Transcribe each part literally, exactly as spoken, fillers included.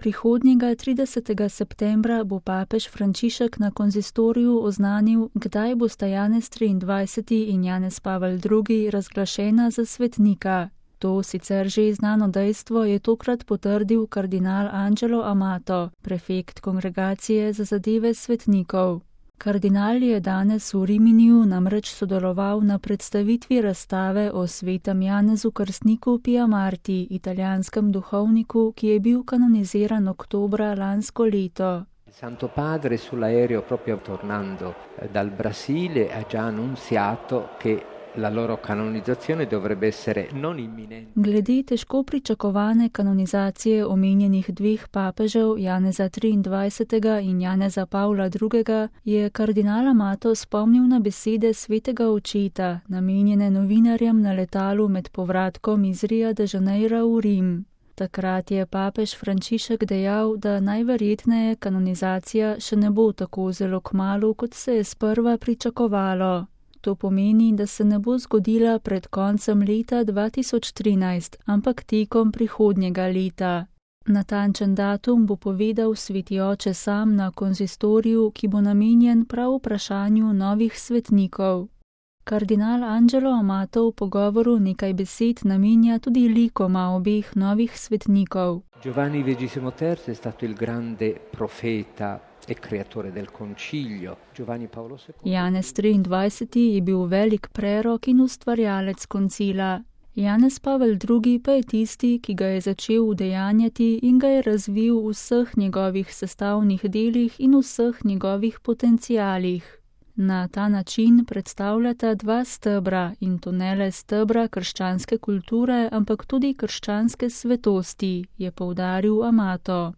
Prihodnjega tridesetega septembra bo papež Frančišek na konzistoriju oznanil, kdaj bosta Janez triindvajseti in Janez Pavel drugi razglašena za svetnika. To sicer že znano dejstvo je tokrat potrdil kardinal Angelo Amato, prefekt Kongregacije za zadeve svetnikov. Kardinal je danes v Riminiju namreč sodeloval na predstavitvi razstave o svetem Janezu Krstniku Pia Marti, italijanskem duhovniku, ki je bil kanoniziran oktobra lansko leto. Santo Padre sull'aereo proprio tornando dal Brasile ha già annunziato che la loro canonizzazione dovrebbe essere non imminente. Glede težko pričakovane kanonizacije omenjenih dveh papežev, Janeza triindvajsetega in Janeza Pavla drugega, je kardinal Amato spomnil na besede svetega očeta, namenjene novinarjem na letalu med povratkom iz Ria de Janeira v Rim. Takrat je papež Frančišek dejal, da najverjetneje kanonizacija še ne bo tako zelo kmalu, kot se je sprva pričakovalo. To pomeni, da se ne bo zgodila pred koncem leta dva tisoč trinajst, ampak tekom prihodnjega leta. Natančen datum bo povedal sveti oče sam na konzistoriju, ki bo namenjen prav vprašanju novih svetnikov. Kardinal Angelo Amato v pogovoru nekaj besed namenja tudi likoma obeh novih svetnikov. Giovanni ventisimo terzo è stato il grande profeta e creatore del concilio. Giovanni Paolo secondo. Janez triindvajseti je bil velik prerok in ustvarjalec koncila. Janez Pavel drugi pa je tisti, ki ga je začel udejanjati in ga je razvil v vseh njegovih sestavnih delih in vseh njegovih potencialih. Na ta način predstavljata dva stebra, in to ne le stebra krščanske kulture, ampak tudi krščanske svetosti, je poudaril Amato.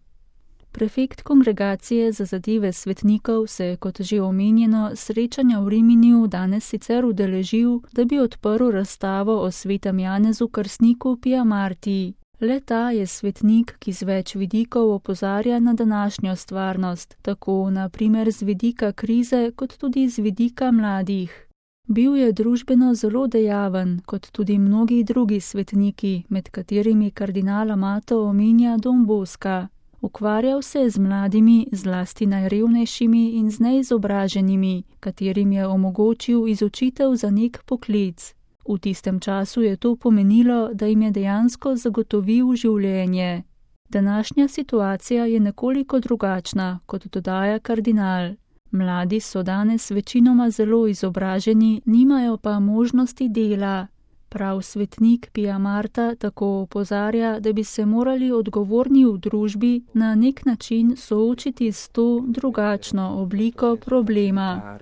Prefekt Kongregacije za zadeve svetnikov se je, kot že omenjeno, srečanja v Riminiju danes sicer udeležil, da bi odprl razstavo o svetem Janezu Krstniku Pia Marti. Le ta je svetnik, ki z več vidikov opozarja na današnjo stvarnost, tako na primer z vidika krize, kot tudi z vidika mladih. Bil je družbeno zelo dejaven, kot tudi mnogi drugi svetniki, med katerimi kardinal Amato omenja Don Bosca. Ukvarjal se je z mladimi, zlasti najrevnejšimi in z neizobraženimi, katerim je omogočil izučitev za nek poklic. V tistem času je to pomenilo, da jim je dejansko zagotovil življenje. Današnja situacija je nekoliko drugačna, kot dodaja kardinal. Mladi so danes večinoma zelo izobraženi, nimajo pa možnosti dela. Prav svetnik Pia Marta tako opozarja, da bi se morali odgovorni v družbi na nek način soočiti s to drugačno obliko problema.